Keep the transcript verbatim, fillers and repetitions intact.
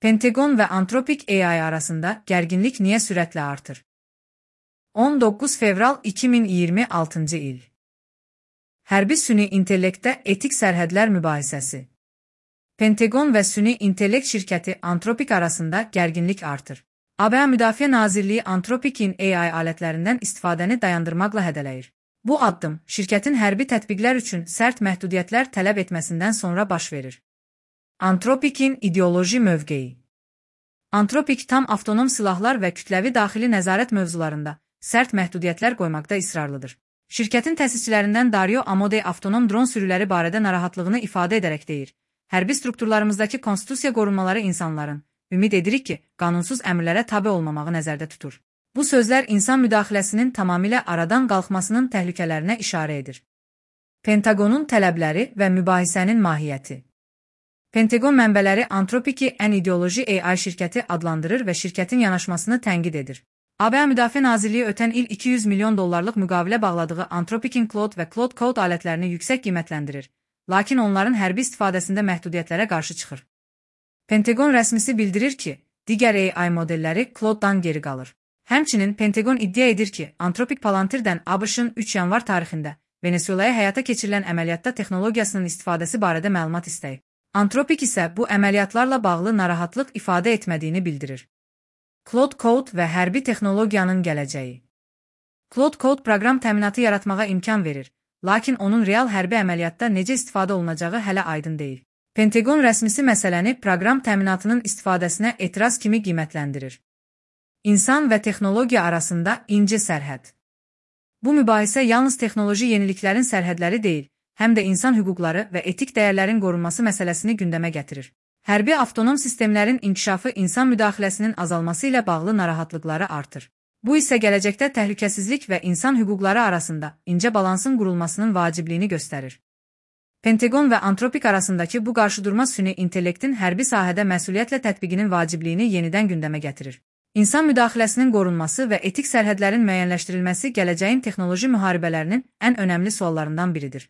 Pentagon və Anthropic A I arasında gərginlik niyə sürətlə artır? on doqquz fevral iki min iyirmi altıncı il. Hərbi süni intellektdə etik sərhədlər mübahisəsi. Pentagon və süni intellekt şirkəti Anthropic arasında gərginlik artır. A B A Müdafiə Nazirliyi Anthropic'in A I alətlərindən istifadəni dayandırmaqla hədələyir. Bu addım şirkətin hərbi tətbiqlər üçün sərt məhdudiyyətlər tələb etməsindən sonra baş verir. Anthropic'in ideoloji mövqeyi. Anthropic tam avtonom silahlar və kütləvi daxili nəzarət mövzularında sərt məhdudiyyətlər qoymaqda israrlıdır. Şirkətin təsisçilərindən Dario Amodei avtonom dron sürüləri barədə narahatlığını ifadə edərək deyir: "Hərbi strukturlarımızdakı konstitusiya qorunmaları insanların, ümid edirik ki, qanunsuz əmrlərə tabe olmamağı nəzərdə tutur." Bu sözlər insan müdaxiləsinin tamamilə aradan qalxmasının təhlükələrinə işarə edir. Pentagonun tələbləri və mübahisənin mahiyyəti. Pentagon mənbələri Anthropic'i ən ideoloji A I şirkəti adlandırır və şirkətin yanaşmasını tənqid edir. A B A Müdafiə Nazirliyi ötən il iki yüz milyon dollarlıq müqavilə bağladığı Anthropic'in Claude və Claude Code alətlərini yüksək qiymətləndirir, lakin onların hərbi istifadəsində məhdudiyyətlərə qarşı çıxır. Pentagon rəsmisi bildirir ki, digər A I modelləri Claude'dan geri qalır. Həmçinin Pentagon iddia edir ki, Anthropic Palantirdən ABŞ-ın üç yanvar tarixində Venezuelaya həyata keçirilən əməliyyatda texnologiyasının istifadəsi barədə məlumat istəyib. Anthropic isə bu əməliyyatlarla bağlı narahatlıq ifadə etmədiyini bildirir. Claude Code və hərbi texnologiyanın gələcəyi. Claude Code proqram təminatı yaratmağa imkan verir, lakin onun real hərbi əməliyyatda necə istifadə olunacağı hələ aydın deyil. Pentagon rəsmisi məsələni proqram təminatının istifadəsinə etiraz kimi qiymətləndirir. İnsan və texnologiya arasında ince sərhəd. Bu mübahisə yalnız texnoloji yeniliklərin sərhədləri deyil, həm də insan hüquqları və etik dəyərlərin qorunması məsələsini gündəmə gətirir. Hərbi avtonom sistemlərin inkişafı insan müdaxiləsinin azalması ilə bağlı narahatlıqları artır. Bu isə gələcəkdə təhlükəsizlik və insan hüquqları arasında incə balansın qurulmasının vacibliyini göstərir. Pentagon və Anthropic arasındakı bu qarşıdurma süni intellektin hərbi sahədə məsuliyyətlə tətbiqinin vacibliyini yenidən gündəmə gətirir. İnsan müdaxiləsinin qorunması və etik sərhədlərin müəyyənləşdirilməsi gələcəyin texnoloji müharibələrinin ən önəmli suallarından biridir.